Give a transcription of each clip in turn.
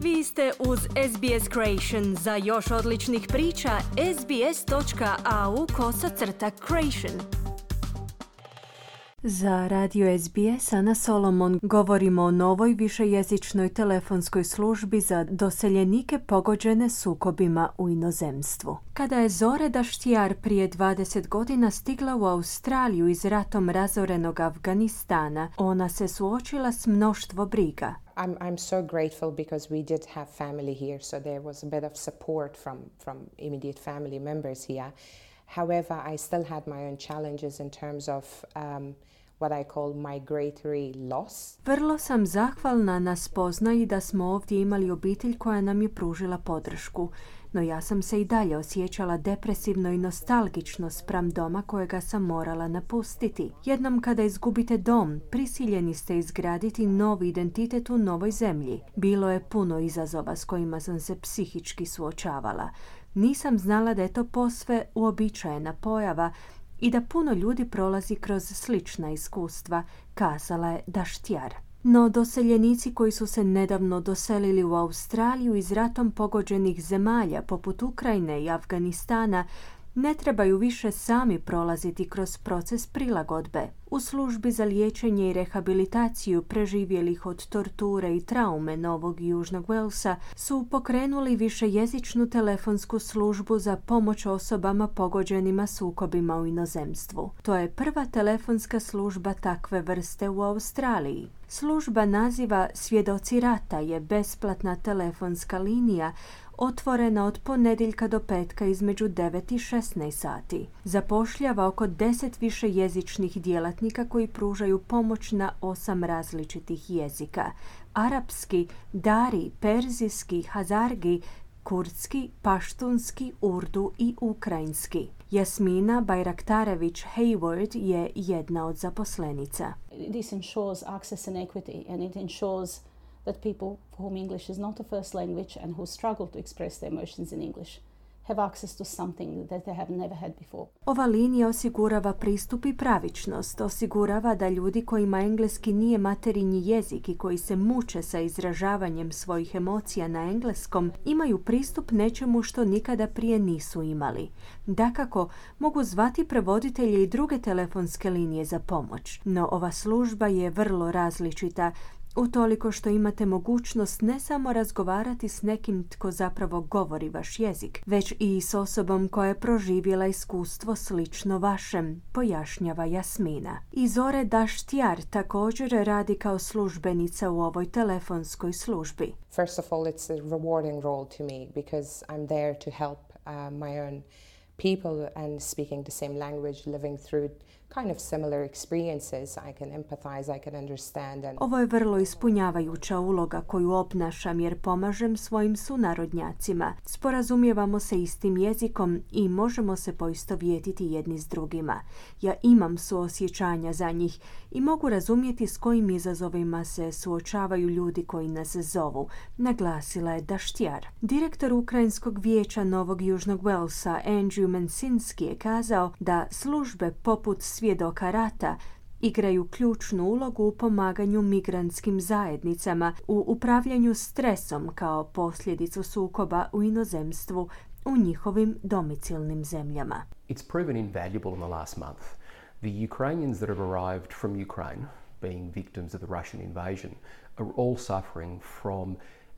Vi ste uz SBS Creation. Za još odličnih priča, sbs.au/creation. Za radio SBS Ana Solomon govorimo o novoj višejezičnoj telefonskoj službi za doseljenike pogođene sukobima u inozemstvu. Kada je Zore Daštjar prije 20 godina stigla u Australiju iz ratom razorenog Afganistana, ona se suočila s mnoštvo briga. I'm so grateful because we did have family here, so there was a bit of support from immediate family members here. However, I still had my own challenges in terms of what I call migratory loss. Vrlo sam zahvalna na spoznaji da smo ovdje imali obitelj koja nam je pružila podršku, no ja sam se i dalje osjećala depresivno i nostalgično spram doma kojega sam morala napustiti. Jednom kada izgubite dom, prisiljeni ste izgraditi novi identitet u novoj zemlji. Bilo je puno izazova s kojima sam se psihički suočavala. Nisam znala da je to posve uobičajena pojava i da puno ljudi prolazi kroz slična iskustva, kazala je Daštjar. No doseljenici koji su se nedavno doselili u Australiju iz ratom pogođenih zemalja poput Ukrajine i Afganistana ne trebaju više sami prolaziti kroz proces prilagodbe. U službi za liječenje i rehabilitaciju preživjelih od torture i traume Novog Južnog Walesa su pokrenuli višejezičnu telefonsku službu za pomoć osobama pogođenima sukobima u inozemstvu. To je prva telefonska služba takve vrste u Australiji. Služba naziva Svjedoci rata je besplatna telefonska linija otvorena od ponedjeljka do petka između 9 i 16 sati. Zapošljava oko 10 višejezičnih djelatnika koji pružaju pomoć na 8 različitih jezika: arapski, dari, perzijski, hazargi, kurdski, paštunski, urdu i ukrajinski. Jasmina Bajraktarević-Hayward je jedna od zaposlenica. This ensures access and equity, and it ensures that people for whom English is not a first language and who struggle to express their emotions in English have access to something that they have never had before. Ova linija osigurava pristup i pravičnost, osigurava da ljudi kojima engleski nije materinji jezik i koji se muče sa izražavanjem svojih emocija na engleskom imaju pristup nečemu što nikada prije nisu imali. Dakako, mogu zvati prevoditelje i druge telefonske linije za pomoć, no ova služba je vrlo različita utoliko što imate mogućnost ne samo razgovarati s nekim tko zapravo govori vaš jezik, već i s osobom koja je proživjela iskustvo slično vašem, pojašnjava Jasmina. I Zore Daštjar također radi kao službenica u ovoj telefonskoj službi. First of all, it's a rewarding role to me because I'm there to help my own people and speaking the same language, living through kind of similar experiences. I can empathize, I can understand. Ovo je vrlo ispunjavajuća uloga koju obnašam jer pomažem svojim sunarodnjacima. Sporazumijevamo se istim jezikom i možemo se poistovjetiti jedni s drugima. Ja imam suosjećanja za njih i mogu razumjeti s kojim izazovima se suočavaju ljudi koji nas zovu, naglasila je Daštjar. Direktor Ukrajinskog vijeća Novog Južnog Walesa Andrew Mensinski je kazao da službe poput Svjedoka rata igraju ključnu ulogu u pomaganju migrantskim zajednicama u upravljanju stresom kao posljedicu sukoba u inozemstvu u njihovim domicilnim zemljama. It's proven invaluable in the last month. The Ukrainians that have arrived from Ukraine, being victims of the Russian invasion, are all suffering from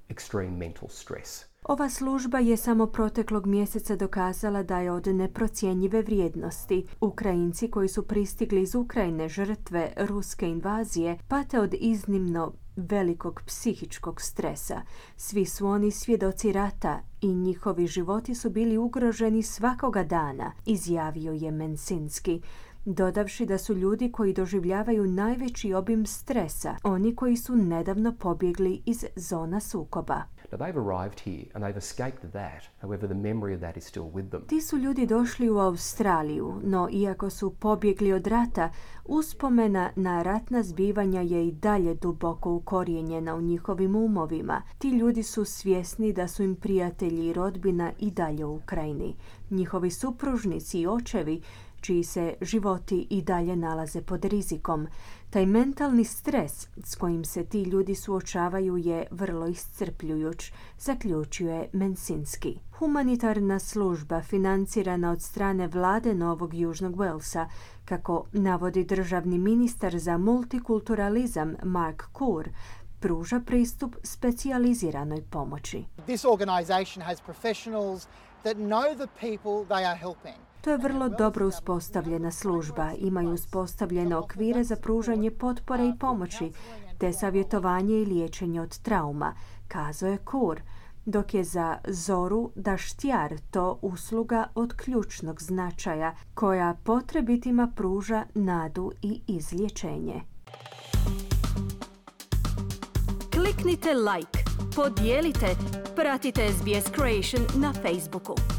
extreme mental stress. Ova služba je samo proteklog mjeseca dokazala da je od neprocjenjive vrijednosti. Ukrajinci koji su pristigli iz Ukrajine žrtve ruske invazije pate od iznimno velikog psihičkog stresa. Svi su oni svjedoci rata i njihovi životi su bili ugroženi svakoga dana, izjavio je Mensinski, dodavši da su ljudi koji doživljavaju najveći obim stresa oni koji su nedavno pobjegli iz zona sukoba. Now they've arrived here and they've escaped that. However, the memory of that is still with them. Ti su ljudi došli u Australiju, no iako su pobjegli od rata, uspomena na ratna zbivanja je i dalje duboko ukorijenjena u njihovim umovima. Ti ljudi su svjesni da su im prijatelji i rodbina i dalje u Ukrajini. Njihovi supružnici i očevi čiji se životi i dalje nalaze pod rizikom. Taj mentalni stres s kojim se ti ljudi suočavaju je vrlo iscrpljujuć, zaključuje Mensinski. Humanitarna služba financirana od strane vlade Novog Južnog Walesa, kako navodi državni ministar za multikulturalizam Mark Coor, pruža pristup specijaliziranoj pomoći. This organization has professionals that know the people they are helping. To je vrlo dobro uspostavljena služba. Imaju uspostavljene okvire za pružanje potpore i pomoći, te savjetovanje i liječenje od trauma, kazao je Coor, dok je za Zoru Daštjar to usluga od ključnog značaja koja potrebitima pruža nadu i izlječenje. Kliknite like, podijelite, pratite SBS Creation na Facebooku.